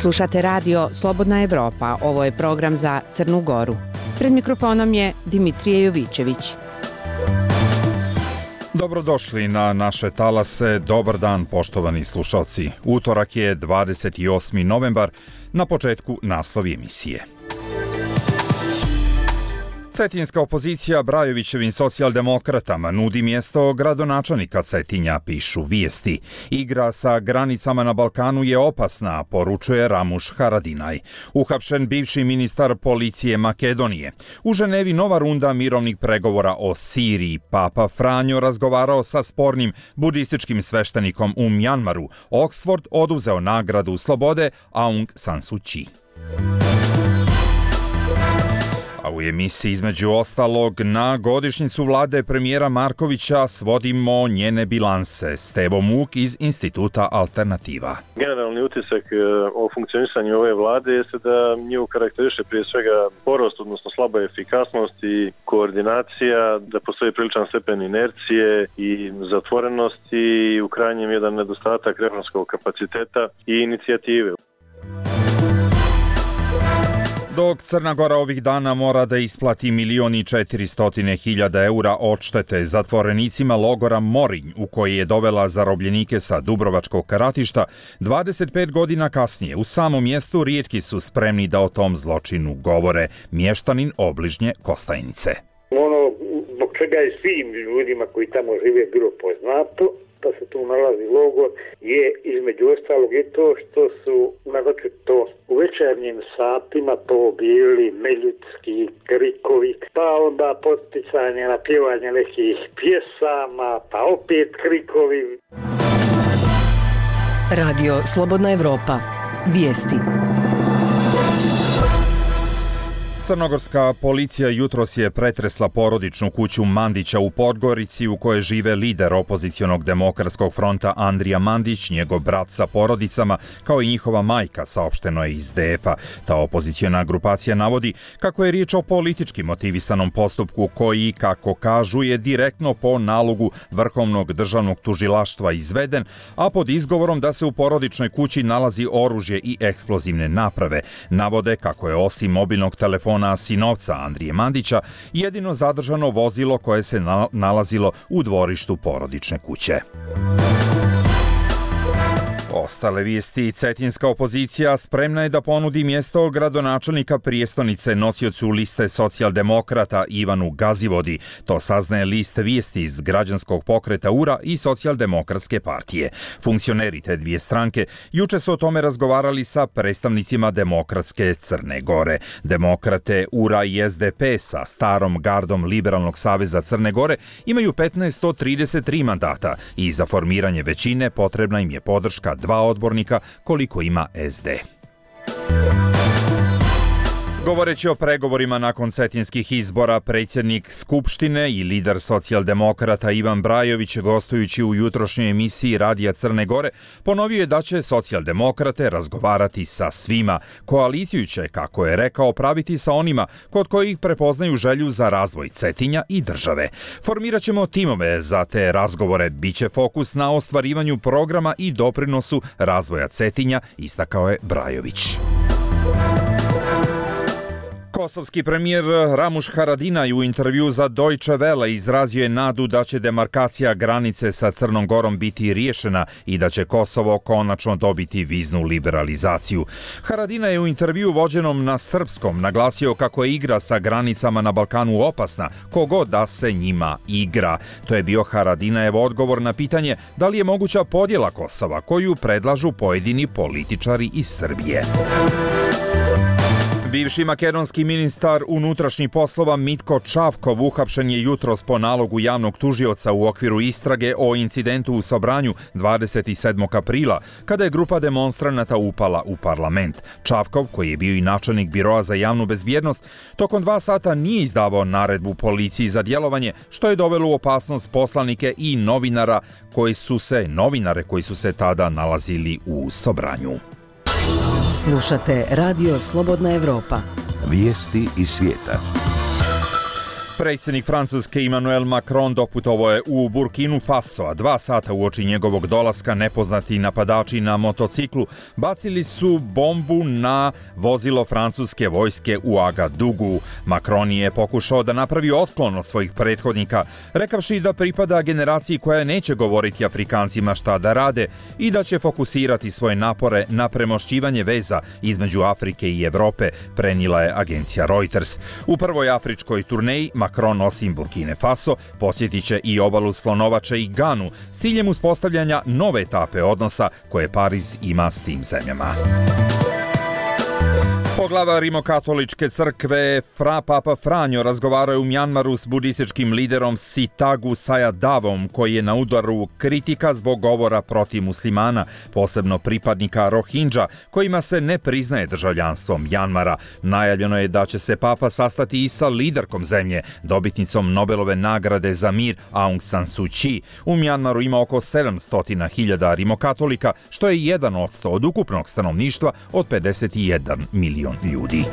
Slušate radio Slobodna Evropa, ovo je program za Crnu Goru. Pred mikrofonom je Dimitrije Jovićević. Dobrodošli na naše talase, dobar dan poštovani slušalci. Utorak je 28. novembar, na početku naslovi emisije. Cetinska opozicija Brajovićevim socijaldemokratama nudi mjesto gradonačelnika Cetinja, pišu vijesti. Igra sa granicama na Balkanu je opasna, poručuje Ramuš Haradinaj. Uhapšen bivši ministar policije Makedonije. U Ženevi nova runda mirovnih pregovora o Siriji. Papa Franjo razgovarao sa spornim budističkim sveštenikom u Mjanmaru. Oxford oduzeo nagradu slobode Aung San Suu Kyi. A u emisiji između ostalog na godišnjicu vlade premijera Markovića svodimo njene bilanse. Stevo Muk iz Instituta Alternativa. Generalni utisak o funkcionisanju ove vlade jeste da nju karakteriše prije svega porost, odnosno slaba efikasnost i koordinacija, da postoji priličan stepen inercije i zatvorenosti i u krajnjem jedan nedostatak reformskog kapaciteta i inicijative. Dok Crna Gora ovih dana mora da isplati 1.400.000 eura odštete zatvorenicima logora Morinj, u koji je dovela zarobljenike sa Dubrovačkog ratišta, 25 godina kasnije u samom mjestu rijetki su spremni da o tom zločinu govore. Mještanin obližnje Kostajnice. Ono zbog čega je svim ljudima koji tamo žive bilo poznato da se tu nalazi logor je između ostalog i to što su naročito u večernjim satima to bili neljudski krikovi, pa onda poticanje na pjevanje nekih pjesama, pa opet krikovi. Radio Slobodna Evropa. Vijesti. Crnogorska policija jutros je pretresla porodičnu kuću Mandića u Podgorici u kojoj žive lider opozicionog demokratskog fronta Andrija Mandić, njegov brat sa porodicama, kao i njihova majka, saopšteno je iz DF-a. Ta opoziciona grupacija navodi kako je riječ o politički motivisanom postupku koji, kako kažu, je direktno po nalogu Vrhovnog državnog tužilaštva izveden, a pod izgovorom da se u porodičnoj kući nalazi oružje i eksplozivne naprave. Navode kako je osim mobilnog telefona sinovca Andrije Mandića jedino zadržano vozilo koje se nalazilo u dvorištu porodične kuće. Ostale vijesti. Cetinska opozicija spremna je da ponudi mjesto gradonačelnika prijestonice nosiocu liste socijaldemokrata Ivanu Gazivodi. To saznaje list vijesti iz građanskog pokreta URA i socijaldemokratske partije. Funkcioneri te dvije stranke juče su o tome razgovarali sa predstavnicima demokratske Crne Gore. Demokrate URA i SDP sa starom gardom Liberalnog saveza Crne Gore imaju 1533 mandata i za formiranje većine potrebna im je podrška 2 odbornika koliko ima SD. Govoreći o pregovorima nakon cetinskih izbora, predsjednik Skupštine i lider socijaldemokrata Ivan Brajović, gostujući u jutrošnjoj emisiji Radija Crne Gore, ponovio je da će socijaldemokrate razgovarati sa svima. Koaliciju će, kako je rekao, praviti sa onima kod kojih prepoznaju želju za razvoj Cetinja i države. Formirat ćemo timove za te razgovore. Biće fokus na ostvarivanju programa i doprinosu razvoja Cetinja, istakao je Brajović. Kosovski premijer Ramuš Haradinaj u intervju za Deutsche Welle izrazio je nadu da će demarkacija granice sa Crnom Gorom biti riješena i da će Kosovo konačno dobiti viznu liberalizaciju. Haradinaj je u intervju vođenom na srpskom naglasio kako je igra sa granicama na Balkanu opasna, kogod da se njima igra. To je bio Haradinajev odgovor na pitanje da li je moguća podjela Kosova koju predlažu pojedini političari iz Srbije. Bivši makedonski ministar unutrašnjih poslova Mitko Čavkov uhapšen je jutros po nalogu javnog tužioca u okviru istrage o incidentu u Sobranju 27. aprila, kada je grupa demonstranata upala u parlament. Čavkov, koji je bio i načelnik Biroa za javnu bezbjednost, tokom 2 sata nije izdavao naredbu policiji za djelovanje, što je dovelo u opasnost poslanike i novinare koji su se tada nalazili u Sobranju. Slušate Radio Slobodna Evropa. Vijesti iz svijeta. Predsjednik Francuske Emmanuel Macron doputovao je u Burkinu Faso, a 2 sata uoči njegovog dolaska nepoznati napadači na motociklu bacili su bombu na vozilo francuske vojske u Agadugu. Macron je pokušao da napravi otklon od svojih prethodnika, rekavši da pripada generaciji koja neće govoriti Afrikancima šta da rade i da će fokusirati svoje napore na premošćivanje veza između Afrike i Evrope, prenijela je agencija Reuters. U prvoj afričkoj turneji Macron osim Burkine Faso posjetit će i obalu Slonovače i Ganu s ciljem uspostavljanja nove etape odnosa koje Pariz ima s tim zemljama. Poglavar Rimokatoličke crkve Papa Franjo razgovarao je u Mjanmaru s budističkim liderom Sitagu Sayadavom, koji je na udaru kritika zbog govora protiv muslimana, posebno pripadnika Rohingya, kojima se ne priznaje državljanstvo Mjanmara. Najavljeno je da će se Papa sastati i sa liderkom zemlje, dobitnicom Nobelove nagrade za mir Aung San Suu Kyi. U Mjanmaru ima oko 700.000 rimokatolika, što je 1% od ukupnog stanovništva od 51 milion ljudi.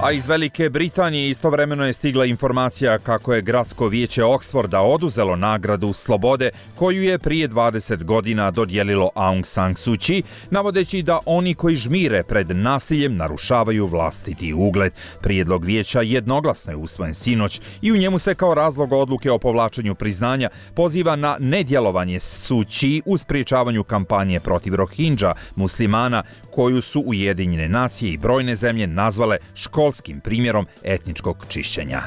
A iz Velike Britanije istovremeno je stigla informacija kako je gradsko vijeće Oxforda oduzelo nagradu slobode koju je prije 20 godina dodijelilo Aung San Suu Kyi, navodeći da oni koji žmire pred nasiljem narušavaju vlastiti ugled. Prijedlog vijeća jednoglasno je usvojen sinoć i u njemu se kao razlog odluke o povlačenju priznanja poziva na nedjelovanje Suu Kyi u sprječavanju kampanje protiv Rohingya, muslimana, koju su Ujedinjene nacije i brojne zemlje nazvale školskim primjerom etničkog čišćenja.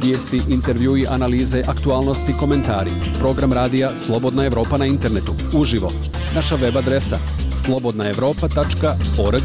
Vijesti, intervjui, analize, aktualnosti, komentari. Program radija Slobodna Evropa na internetu. Uživo. Naša web adresa slobodnaevropa.org.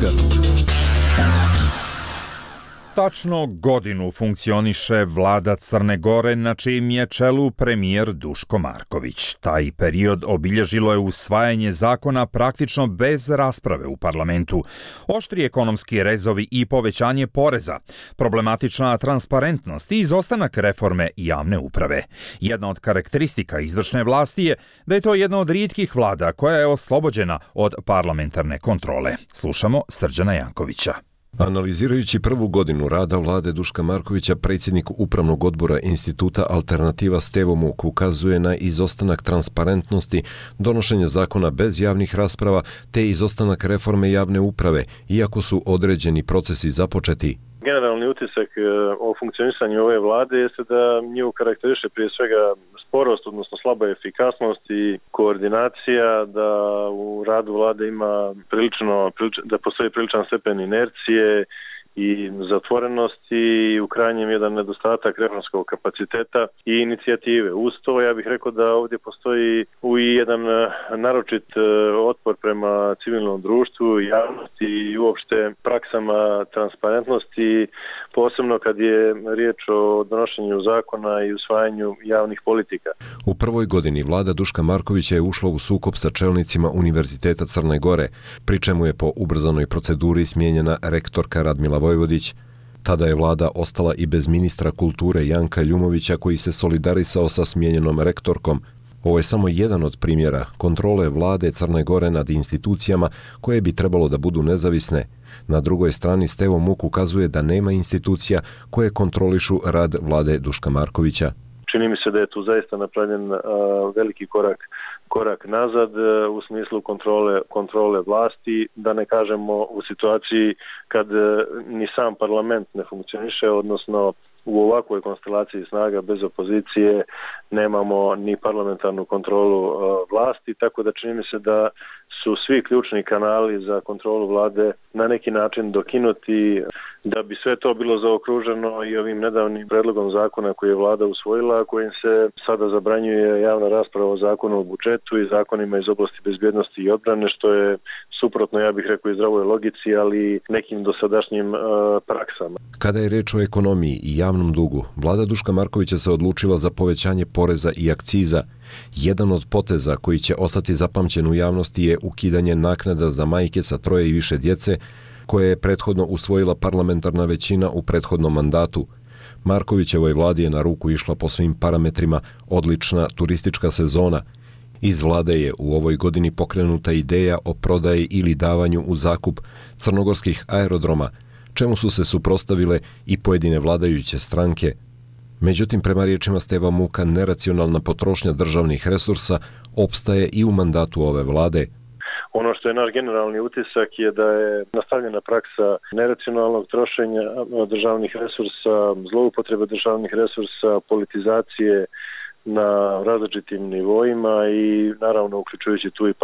Tačno godinu funkcioniše vlada Crne Gore na čijem je čelu premijer Duško Marković. Taj period obilježilo je usvajanje zakona praktično bez rasprave u parlamentu. Oštri ekonomski rezovi i povećanje poreza, problematična transparentnost i izostanak reforme javne uprave. Jedna od karakteristika izvršne vlasti je da je to jedna od rijetkih vlada koja je oslobođena od parlamentarne kontrole. Slušamo Srđana Jankovića. Analizirajući prvu godinu rada vlade Duška Markovića, predsjednik Upravnog odbora Instituta Alternativa Stevo Muk ukazuje na izostanak transparentnosti, donošenje zakona bez javnih rasprava te izostanak reforme javne uprave, iako su određeni procesi započeti. Generalni utisak o funkcionisanju ove vlade jeste da nju karakteriše prije svega sporost, odnosno slaba efikasnost i koordinacija, da u radu vlade ima da postoji priličan stepen inercije i zatvorenosti i u krajnjem jedan nedostatak reformskog kapaciteta i inicijative. Uz to ja bih rekao da ovdje postoji i jedan naročit otpor prema civilnom društvu, javnosti i uopšte praksama transparentnosti, posebno kad je riječ o donošenju zakona i usvajanju javnih politika. U prvoj godini vlada Duška Markovića je ušla u sukob sa čelnicima Univerziteta Crne Gore, pri čemu je po ubrzanoj proceduri smijenjena rektorka Radmila Vojvodić. Tada je vlada ostala i bez ministra kulture Janka Ljumovića, koji se solidarisao sa smijenjenom rektorkom. Ovo je samo jedan od primjera kontrole vlade Crne Gore nad institucijama koje bi trebalo da budu nezavisne. Na drugoj strani Stevo Muk ukazuje da nema institucija koje kontrolišu rad vlade Duška Markovića. Čini mi se da je tu zaista napravljen veliki korak nazad u smislu kontrole vlasti, da ne kažemo u situaciji kad ni sam parlament ne funkcioniše, odnosno u ovakvoj konstelaciji snaga bez opozicije nemamo ni parlamentarnu kontrolu vlasti, tako da čini mi se da su svi ključni kanali za kontrolu vlade na neki način dokinuti. Da bi sve to bilo zaokruženo i ovim nedavnim predlogom zakona koji je vlada usvojila, kojim se sada zabranjuje javna rasprava o zakonu o budžetu i zakonima iz oblasti bezbjednosti i odbrane, što je suprotno, ja bih rekao, i zdravoj logici, ali nekim dosadašnjim praksama. Kada je reč o ekonomiji i javnom dugu, vlada Duška Markovića se odlučila za povećanje poreza i akciza. Jedan od poteza koji će ostati zapamćen u javnosti je ukidanje naknada za majke sa 3 i više djece, koje je prethodno usvojila parlamentarna većina u prethodnom mandatu. Markovićevoj vladi je na ruku išla po svim parametrima odlična turistička sezona. Iz vlade je u ovoj godini pokrenuta ideja o prodaji ili davanju u zakup crnogorskih aerodroma. čemu su se suprotstavile i pojedine vladajuće stranke. Međutim, prema riječima Steva Muka, neracionalna potrošnja državnih resursa opstaje i u mandatu ove vlade. Ono što je naš generalni utisak je da je nastavljena praksa neracionalnog trošenja državnih resursa, zloupotrebe državnih resursa, politizacije na različitim nivoima i naravno uključujući tu i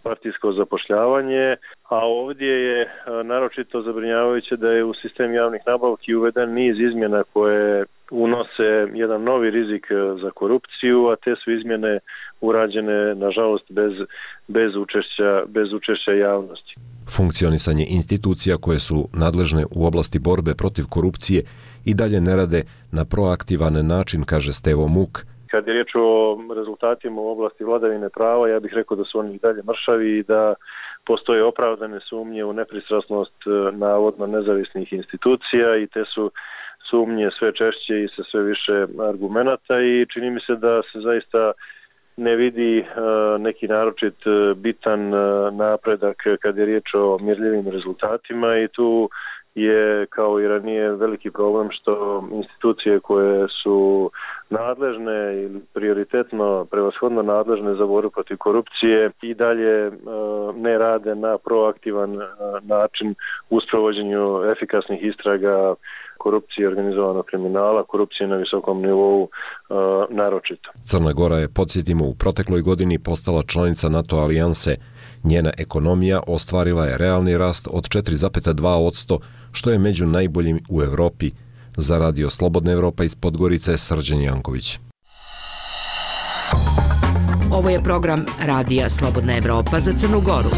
partijsko zapošljavanje. A ovdje je naročito zabrinjavajuće da je u sistem javnih nabavki uveden niz izmjena koje unose jedan novi rizik za korupciju, a te su izmjene urađene, nažalost, bez učešća javnosti. Funkcionisanje institucija koje su nadležne u oblasti borbe protiv korupcije i dalje ne rade na proaktivan način, kaže Stevo Muk. Kad je riječ o rezultatima u oblasti vladavine prava, ja bih rekao da su oni i dalje mršavi i da postoje opravdane sumnje u nepristrasnost navodno nezavisnih institucija i te su sumnje sve češće i sa sve više argumenata i čini mi se da se zaista ne vidi neki naročit bitan napredak kad je riječ o mjerljivim rezultatima i tu je kao i ranije veliki problem što institucije koje su nadležne ili prioritetno prevashodno nadležne za borbu protiv korupcije i dalje ne rade na proaktivan način u sprovođenju efikasnih istraga korupcije, organizovanog kriminala, korupcije na visokom nivou naročito. Crna Gora je, podsjetimo, u protekloj godini postala članica NATO alijanse. Njena ekonomija ostvarila je realni rast od 4,2%, što je među najboljim u Europi. Za Radio Slobodna Evropa iz Podgorice, Srđan Janković. Ovo je program Radija Slobodna Evropa za Crnu Goru.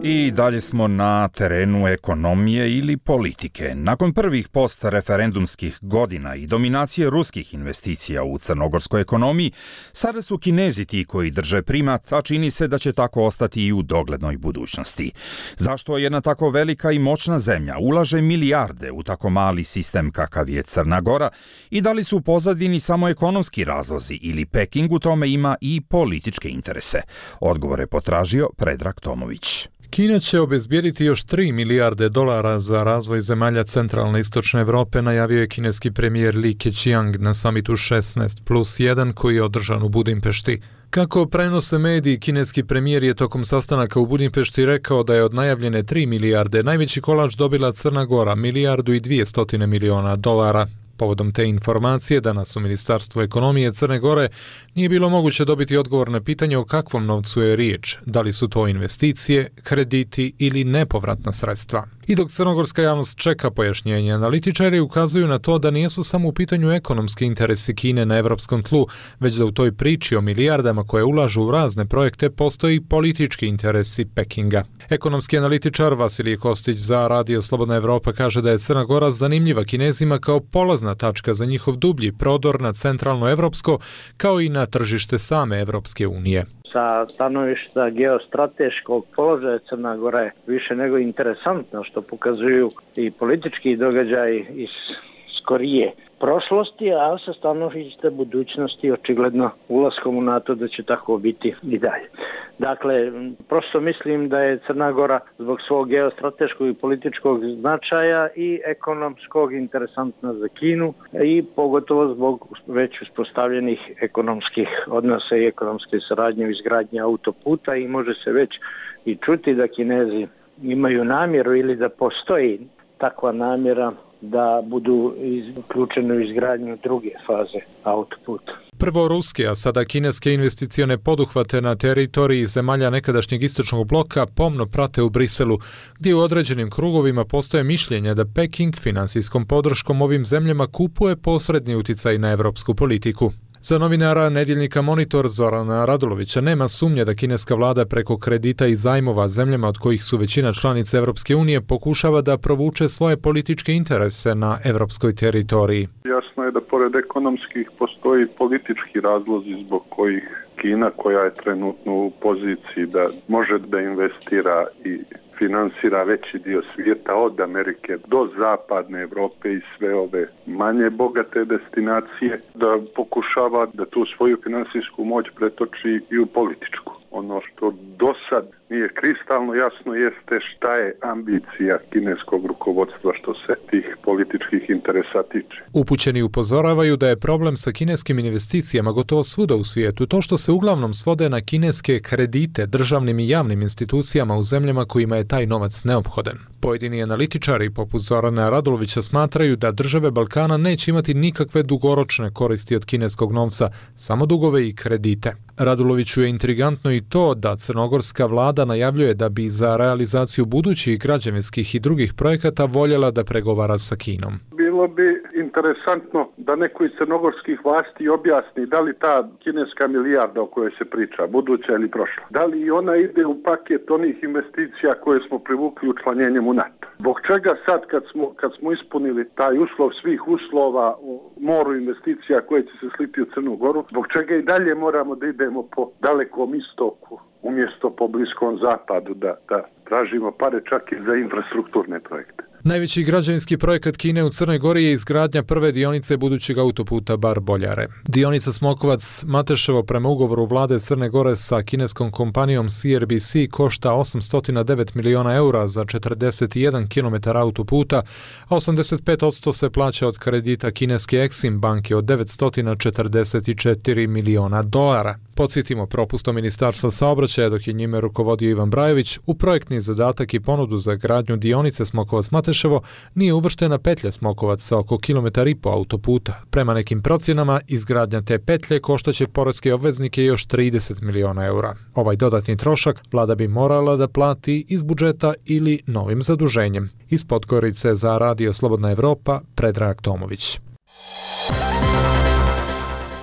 I dalje smo na terenu ekonomije ili politike. Nakon prvih postreferendumskih godina i dominacije ruskih investicija u crnogorskoj ekonomiji, sada su Kinezi ti koji drže primat, a čini se da će tako ostati i u doglednoj budućnosti. Zašto jedna tako velika i moćna zemlja ulaže milijarde u tako mali sistem kakav je Crna Gora i da li su u pozadini samo ekonomski razlozi ili Peking u tome ima i političke interese? Odgovor je potražio Predrag Tomović. Kina će obezbijediti još 3 milijarde dolara za razvoj zemalja centralne i istočne Evrope, najavio je kineski premijer Li Keqiang na samitu 16+1 koji je održan u Budimpešti. Kako prenose mediji, kineski premijer je tokom sastanaka u Budimpešti rekao da je od najavljene 3 milijarde najveći kolač dobila Crna Gora, 1,2 milijarde dolara. Povodom te informacije, danas u Ministarstvu ekonomije Crne Gore nije bilo moguće dobiti odgovor na pitanje o kakvom novcu je riječ, da li su to investicije, krediti ili nepovratna sredstva. I dok crnogorska javnost čeka pojašnjenje, analitičari ukazuju na to da nisu samo u pitanju ekonomski interesi Kine na evropskom tlu, već da u toj priči o milijardama koje ulažu u razne projekte postoji politički interesi Pekinga. Ekonomski analitičar Vasilije Kostić za Radio Slobodna Evropa kaže da je Crna Gora zanimljiva Kinezima kao polazna tačka za njihov dublji prodor na centralno evropsko, kao i na tržište same Evropske unije. Sa stanovišta geostrateškog položaja Crna Gora je više nego interesantno, što pokazuju i politički događaji iz skorije prošlosti, a sa stanovišta budućnosti očigledno ulaskom u NATO da će tako biti i dalje. Dakle, prosto mislim da je Crna Gora zbog svog geostrateškog i političkog značaja i ekonomskog interesantna za Kinu i pogotovo zbog već uspostavljenih ekonomskih odnosa i ekonomske saradnje u izgradnji autoputa i može se već i čuti da Kinezi imaju namjeru ili da postoji takva namjera da budu uključeni u izgradnju druge faze autoputa. Prvo ruske, a sada kineske investicione poduhvate na teritoriji zemalja nekadašnjeg istočnog bloka pomno prate u Briselu, gdje u određenim krugovima postoje mišljenje da Peking finansijskom podrškom ovim zemljama kupuje posredni uticaj na evropsku politiku. Za novinara nedjeljnika Monitor Zorana Radulovića nema sumnje da kineska vlada preko kredita i zajmova zemljama od kojih su većina članica Evropske unije pokušava da provuče svoje političke interese na evropskoj teritoriji. Jasno je da pored ekonomskih postoji politički razlozi zbog kojih Kina, koja je trenutno u poziciji da može da investira i finansira veći dio svijeta od Amerike do zapadne Evrope i sve ove manje bogate destinacije, da pokušava da tu svoju finansijsku moć pretoči i u političku. Ono što do sad nije kristalno jasno jeste šta je ambicija kineskog rukovodstva što se tih političkih interesa tiče. Upućeni upozoravaju da je problem sa kineskim investicijama gotovo svuda u svijetu to što se uglavnom svode na kineske kredite državnim i javnim institucijama u zemljama kojima je taj novac neophodan. Pojedini analitičari poput Zorana Radulovića smatraju da države Balkana neće imati nikakve dugoročne koristi od kineskog novca, samo dugove i kredite. Raduloviću je intrigantno i to da crnogorska vlada najavljuje da bi za realizaciju budućih građevinskih i drugih projekata voljela da pregovara sa Kinom. Bilo bi interesantno da neko iz crnogorskih vlasti objasni da li ta kineska milijarda o kojoj se priča, buduća ili prošla, da li i ona ide u paket onih investicija koje smo privukli učlanjenjem u NATO. Zbog čega sad kad smo ispunili taj uslov svih uslova u moru investicija koje će se sliti u Crnu Goru, zbog čega i dalje moramo da idemo po dalekom istoku umjesto po Bliskom zapadu da tražimo pare čak i za infrastrukturne projekte. Najveći građevinski projekat Kine u Crnoj Gori je izgradnja prve dionice budućeg autoputa Bar-Boljare. Dionica Smokovac-Mateševo prema ugovoru vlade Crne Gore sa kineskom kompanijom CRBC košta 809 miliona eura za 41 km autoputa, a 85% se plaća od kredita kineske Exim banke od 944 miliona dolara. Podsjetimo, propustom Ministarstva saobraćaja dok je njime rukovodio Ivan Brajović, u projektni zadatak i ponudu za gradnju dionice Smokovac-Mateševo nije uvrštena petlja Smokovac sa oko 1,5 km autoputa. Prema nekim procjenama, izgradnja te petlje koštaće poreske obveznike još 30 miliona eura. Ovaj dodatni trošak vlada bi morala da plati iz budžeta ili novim zaduženjem. Iz Podgorice za Radio Slobodna Evropa, Predrag Tomović.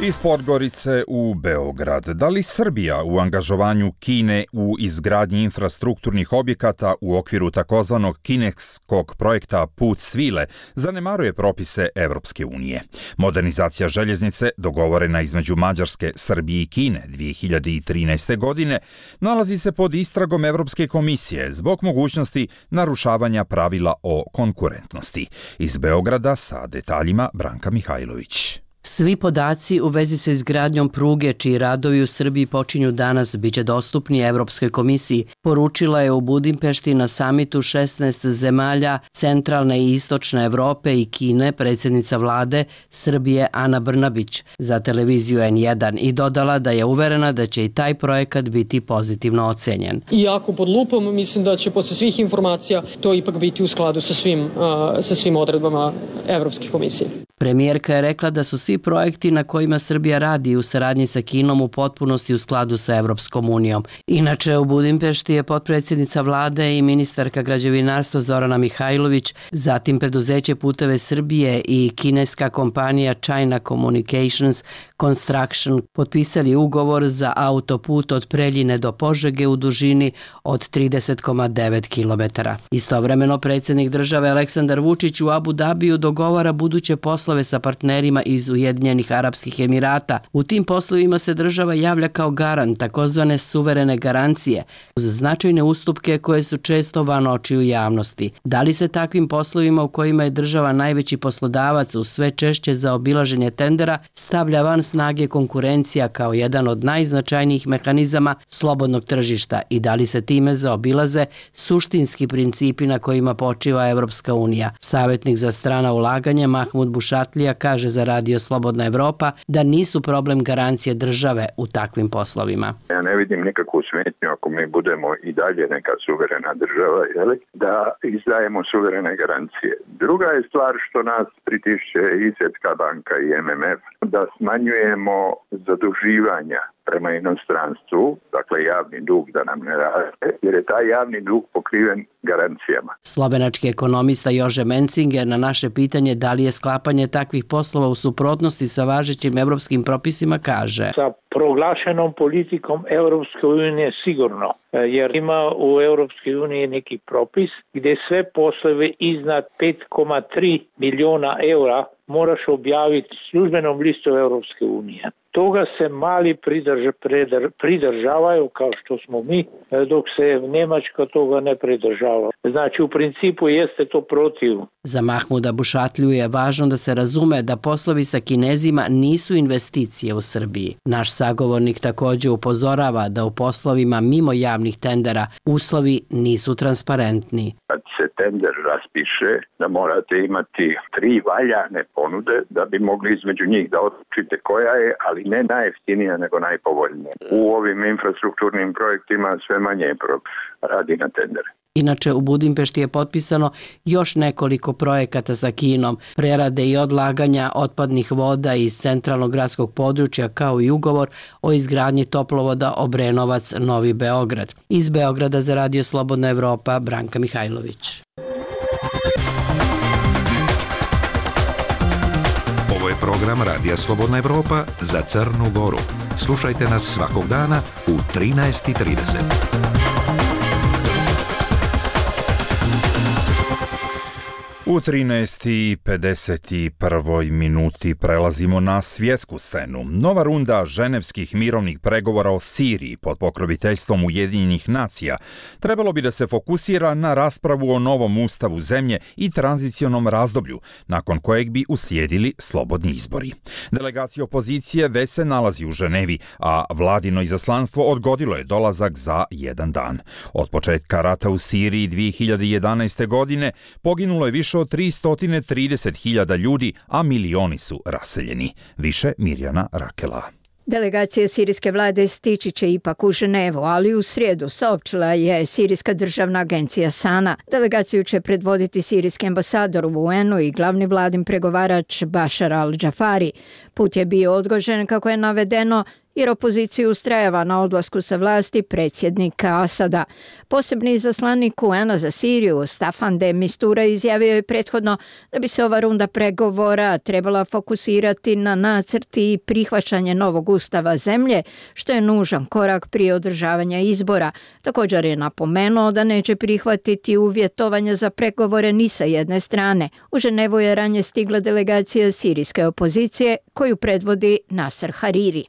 Iz Podgorice u Beograd. Da li Srbija u angažovanju Kine u izgradnji infrastrukturnih objekata u okviru takozvanog kineskog projekta Put svile zanemaruje propise Evropske unije? Modernizacija željeznice, dogovorena između Mađarske, Srbije i Kine 2013. godine, nalazi se pod istragom Evropske komisije zbog mogućnosti narušavanja pravila o konkurentnosti. Iz Beograda sa detaljima Branka Mihajlović. Svi podaci u vezi sa izgradnjom pruge čiji radovi u Srbiji počinju danas biće dostupni Evropskoj komisiji, poručila je u Budimpešti na samitu 16 zemalja centralne i istočne Evrope i Kine predsjednica vlade Srbije Ana Brnabić za televiziju N1 i dodala da je uverena da će i taj projekat biti pozitivno ocenjen. Iako pod lupom, mislim da će posle svih informacija to ipak biti u skladu sa svim odredbama Evropske komisije. Premijerka je rekla da su svi projekti na kojima Srbija radi u saradnji sa Kinom u potpunosti u skladu sa Evropskom unijom. Inače, u Budimpešti je potpredsjednica vlade i ministarka građevinarstva Zorana Mihajlović, zatim preduzeće Puteve Srbije i kineska kompanija China Communications Construction potpisali ugovor za autoput od Preljine do Požege u dužini od 30,9 km. Istovremeno, predsjednik države Aleksandar Vučić u Abu Dabiju dogovara buduće poslove sa partnerima iz Ujedinjenih Arapskih Emirata. U tim poslovima se država javlja kao garant takozvane suverene garancije uz značajne ustupke koje su često van očiju javnosti. Da li se takvim poslovima u kojima je država najveći poslodavac u sve češće za obilaženje tendera stavlja van snage konkurencija kao jedan od najznačajnijih mehanizama slobodnog tržišta i da li se time zaobilaze suštinski principi na kojima počiva Evropska unija? Savjetnik za strana ulaganja Mahmud Bušatlija kaže za Radio Slobodna Evropa da nisu problem garancije države u takvim poslovima. Ja ne vidim nikakvu smetnju ako mi budemo i dalje neka suverena država, da izdajemo suverene garancije. Druga je stvar što nas pritišće i Svjetska banka i MMF da smanjujemo zaduživanja prema inostranstvu, dakle javni dug da nam ne raste, jer je taj javni dug pokriven garancijama. Slovenački ekonomista Jože Mencinger na naše pitanje da li je sklapanje takvih poslova u suprotnosti sa važećim evropskim propisima kaže: Sa proglašenom politikom Europske unije sigurno, jer ima u Europskoj uniji neki propis gdje sve poslove iznad 5,3 miliona eura moraš objaviti službenom listu Europske unije. Toga se mali pridržavaju kao što smo mi, dok se Njemačka toga ne pridržava. Znači u principu jeste to protiv. Za Mahmuda Bušatlju je važno da se razume da poslovi sa Kinezima nisu investicije u Srbiji. Naš sagovornik također upozorava da u poslovima mimo javnih tendera uslovi nisu transparentni. Kad se tender raspiše, da morate imati 3 valjane ponude da bi mogli između njih da odlučite koja je, ali ne najjeftinija nego najpovoljnija. U ovim infrastrukturnim projektima sve manje radi na tendere. Inače, u Budimpešti je potpisano još nekoliko projekata sa Kinom, prerade i odlaganja otpadnih voda iz centralnog gradskog područja, kao i ugovor o izgradnji toplovoda Obrenovac-Novi Beograd. Iz Beograda za Radio Slobodna Evropa, Branka Mihajlović. Ovo je program Radija Slobodna Evropa za Crnu Goru. Slušajte nas svakog dana u 13:30. U 13:51 minuti prelazimo na svjetsku scenu. Nova runda ženevskih mirovnih pregovora o Siriji pod pokroviteljstvom Ujedinjenih nacija trebalo bi da se fokusira na raspravu o novom ustavu zemlje i tranzicionom razdoblju, nakon kojeg bi uslijedili slobodni izbori. Delegacija opozicije već se nalazi u Ženevi, a vladino izaslanstvo odgodilo je dolazak za 1 dan. Od početka rata u Siriji 2011. godine poginulo je više od 330.000 ljudi, a milioni su raseljeni. Više Mirjana Rakela. Delegacija sirijske vlade stići će ipak u Ženevu, ali u srijedu saopćila je Sirijska državna agencija SANA. Delegaciju će predvoditi sirijski ambasador u UN-u i glavni vladin pregovarač Bashar al-Džafari. Put je bio odgođen, kako je navedeno, jer opozicija ustrajava na odlasku sa vlasti predsjednika Asada. Posebni izaslanik UN-a za Siriju, Staffan de Mistura, izjavio je prethodno da bi se ova runda pregovora trebala fokusirati na nacrt i prihvaćanje novog ustava zemlje, što je nužan korak prije održavanja izbora. Također je napomenuo da neće prihvatiti uvjetovanja za pregovore ni sa jedne strane. U Ženevu je ranije stigla delegacija sirijske opozicije, koju predvodi Nasser Hariri.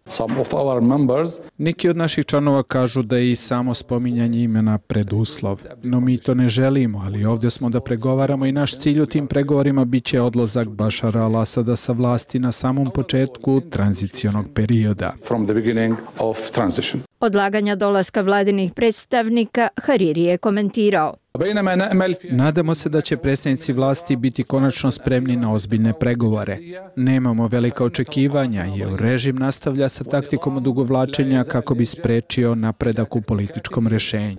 Neki od naših članova kažu da je i samo spominjanje imena preduslov, no mi to ne želimo, ali ovdje smo da pregovaramo i naš cilj u tim pregovorima bit će odlazak Bashara al-Asada sa vlasti na samom početku tranzicionog perioda. Odlaganja dolaska vladinih predstavnika Hariri je komentirao. Nadamo se da će predstavnici vlasti biti konačno spremni na ozbiljne pregovore. Nemamo velika očekivanja jer režim nastavlja sa taktikom odugovlačenja kako bi sprečio napredak u političkom rješenju.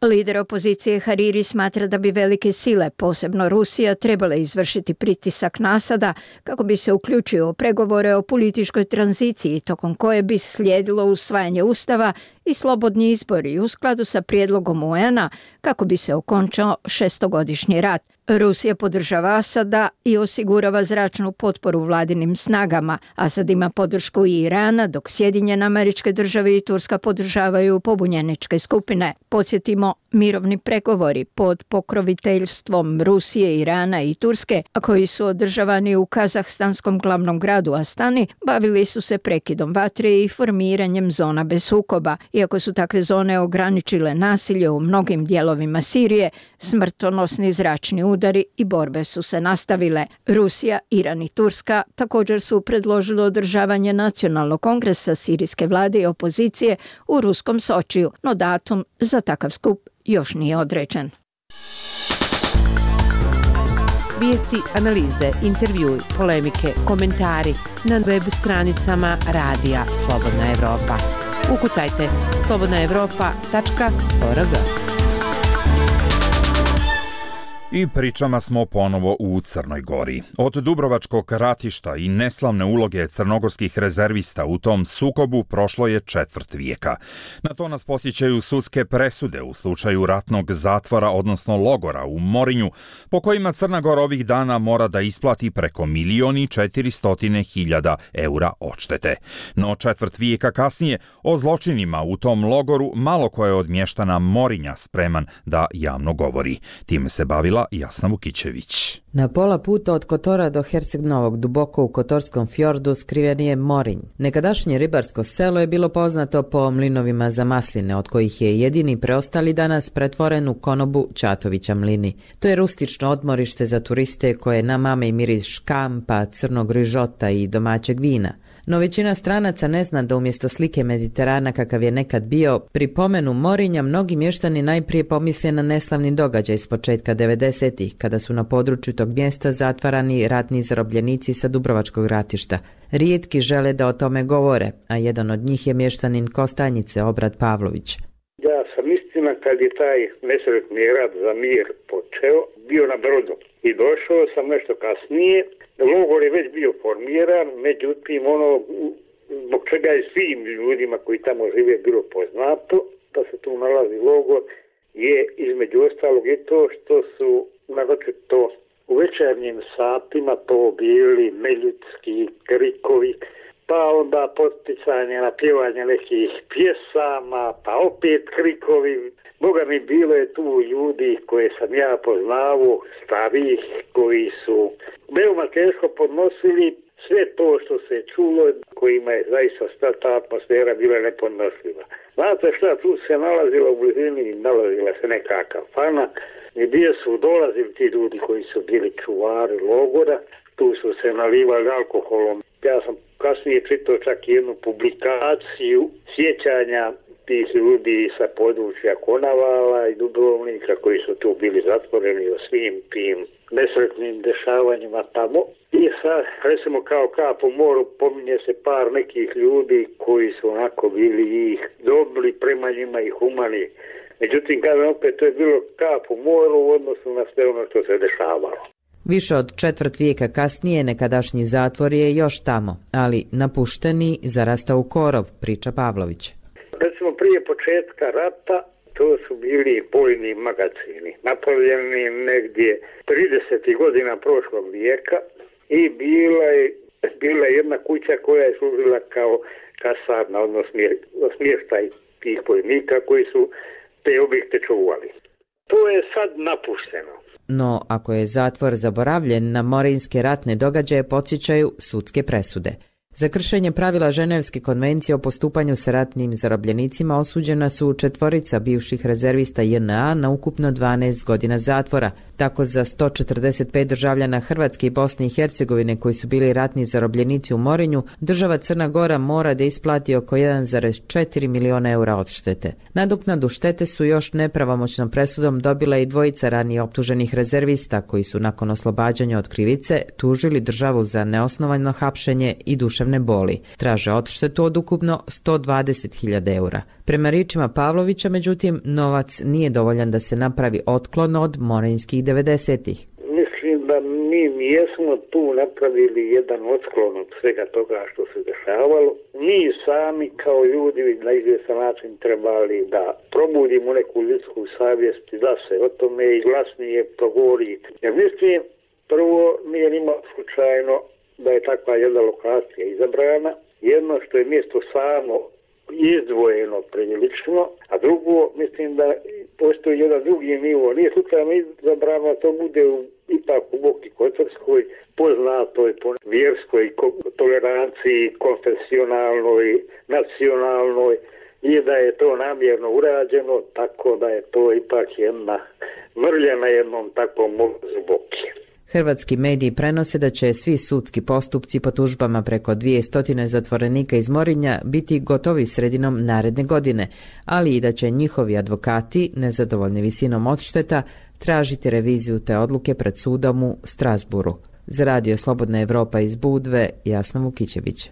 Lider opozicije Hariri smatra da bi velike sile, posebno Rusija, trebale izvršiti pritisak na Asada kako bi se uključio u pregovore o političkoj tranziciji, tokom koje bi slijedilo usvajanje ustava i slobodni izbori u skladu sa prijedlogom UN-a kako bi se okončao 6-godišnji rat. Rusija podržava Asada i osigurava zračnu potporu vladinim snagama. Asad ima podršku i Irana, dok Sjedinjene Američke Države i Turska podržavaju pobunjeničke skupine. Podsjetimo, mirovni pregovori pod pokroviteljstvom Rusije, Irana i Turske, a koji su održavani u kazahstanskom glavnom gradu Astani, bavili su se prekidom vatre i formiranjem zona bez sukoba. Iako su takve zone ograničile nasilje u mnogim dijelovima Sirije, smrtonosni zračni udari i borbe su se nastavile. Rusija, Iran i Turska također su predložili održavanje nacionalnog kongresa sirijske vlade i opozicije u ruskom Sočiju, no datum za takav skup još nije određen. Vijesti, analize, intervjui, polemike, komentari na web stranicama Radija Slobodna Evropa. Ukucajte slobodnaevropa.org. I pričama smo ponovo u Crnoj Gori. Od Dubrovačkog ratišta i neslavne uloge crnogorskih rezervista u tom sukobu prošlo je 1/4 vijeka. Na to nas posjećaju sudske presude u slučaju ratnog zatvora, odnosno logora u Morinju, po kojima Crna Gora ovih dana mora da isplati preko 1.400.000 eura odštete. No 1/4 vijeka kasnije o zločinima u tom logoru malo ko je od mještana Morinja spreman da javno govori. Time se bavila priredila Jasna Vukićević. Na pola puta od Kotora do Herceg-Novog, duboko u Kotorskom fjordu, skriven je Morinj. Nekadašnje ribarsko selo je bilo poznato po mlinovima za masline, od kojih je jedini preostali danas pretvoren u konobu Ćatovića mlini. To je rustično odmorište za turiste koje namame i miris škampa, crnog rižota i domaćeg vina. No većina stranaca ne zna da umjesto slike Mediterana kakav je nekad bio, pri pomenu Morinja mnogi mještani najprije pomisle na neslavni događaj s početka 90-ih, kada su na području tog mjesta zatvarani ratni zarobljenici sa Dubrovačkog ratišta. Rijetki žele da o tome govore, a jedan od njih je mještanin Kostanjice, Obrad Pavlović. Ja sam istina kad je taj nesretni rat za mir počeo, bio na Brodu i došao sam nešto kasnije. Logor je već bio formiran, međutim zbog čega je svim ljudima koji tamo žive bilo poznato da se tu nalazi logor, je između ostalog i to što su naročito u večernjim satima to bili neljudski krikovi, pa onda poticanje na pjevanje nekih pjesama, pa opet krikovi. Boga mi, bilo je tu ljudi koje sam ja poznavao, starih, koji su veoma teško podnosili sve to što se čulo, kojima je zaista ta atmosfera bila nepodnošljiva. Znate šta, tu se nalazila u blizini, nalazila se neka kafana, gdje su dolazili ti ljudi koji su bili čuvari logora, tu su se nalivali alkoholom. Ja sam kasnije čitao čak jednu publikaciju sjećanja tih ljudi sa područja Konavala i Dubrovnika koji su tu bili zatvoreni o svim tim nesretnim dešavanjima tamo. I sad, recimo kao kap u moru, pominje se par nekih ljudi koji su onako bili ih dobri prema njima i humani. Međutim, kažem opet, to je bilo kap u moru u odnosu na sve ono što se dešavalo. Više od četvrt vijeka kasnije nekadašnji zatvor je još tamo, ali napušteni zarastao u korov, priča Pavlović. Recimo prije početka rata to su bili bojni magacini, napravljeni negdje 30. godina prošlog vijeka i bila je jedna kuća koja je služila kao kasarna, odnosno smještaj tih bojnika koji su te objekte čuvali. To je sad napušteno. No, ako je zatvor zaboravljen, na morinske ratne događaje podsjećaju sudske presude. Za kršenje pravila Ženevske konvencije o postupanju sa ratnim zarobljenicima osuđena su 4 bivših rezervista JNA na ukupno 12 godina zatvora. Tako za 145 državljana Hrvatske i Bosne i Hercegovine koji su bili ratni zarobljenici u Morinju, država Crna Gora mora da isplati oko 1,4 miliona eura odštete. Nadoknadu štete su još nepravomoćnom presudom dobila i 2 ranije optuženih rezervista koji su nakon oslobađanja od krivice tužili državu za neosnovano hapšenje i duševne boli. Traže odštetu od ukupno 120.000 eura. Prema riječima Pavlovića, međutim, novac nije dovoljan da se napravi otklon od morinskih 90-ih. Mislim da mi jesmo tu napravili jedan otklon od svega toga što se dešavalo. Mi sami kao ljudi na izvjestan način trebali da probudimo neku ljudsku savjest da se o tome i glasnije progovori. Jer mislim, prvo nije nimalo slučajno da je takva jedna lokacija izabrana. Jedno što je mjesto samo izdvojeno prilično, a drugo mislim da postoji jedan drugi nivo. Nije slučajno izabrano, to bude ipak u Boki Kotorskoj, poznatoj po vjerskoj toleranciji, konfesionalnoj, nacionalnoj, i da je to namjerno urađeno, tako da je to ipak jedna mrlja na jednom takvom mozu Boki. Hrvatski mediji prenose da će svi sudski postupci po tužbama preko 200 zatvorenika iz Morinja biti gotovi sredinom naredne godine, ali i da će njihovi advokati, nezadovoljni visinom odšteta, tražiti reviziju te odluke pred sudom u Strasburu. Za Radio Slobodna Evropa iz Budve, Jasna Vukićević.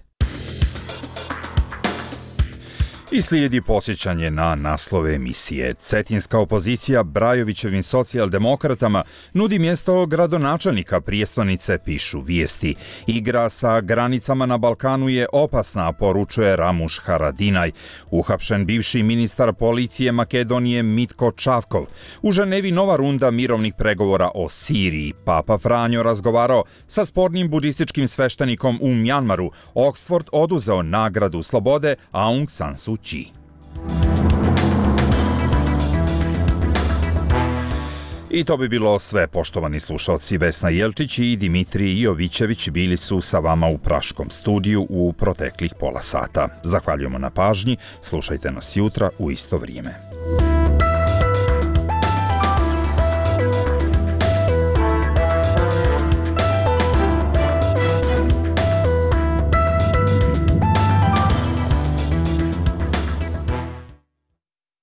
I slijedi posjećanje na naslove emisije. Cetinska opozicija Brajovićevim socijaldemokratama nudi mjesto gradonačelnika prijestolnice, pišu vijesti. Igra sa granicama na Balkanu je opasna, poručuje Ramuš Haradinaj. Uhapšen bivši ministar policije Makedonije Mitko Čavkov. U Ženevi nova runda mirovnih pregovora o Siriji. Papa Franjo razgovarao sa spornim budističkim sveštenikom u Mjanmaru. Oxford oduzeo nagradu slobode Aung San Suu Kyi. I to bi bilo sve, poštovani slušalci. Vesna Jelčić i Dimitrij Jovićević bili su sa vama u Praškom studiju u proteklih pola sata. Zahvaljujemo na pažnji, slušajte nas jutra u isto vrijeme.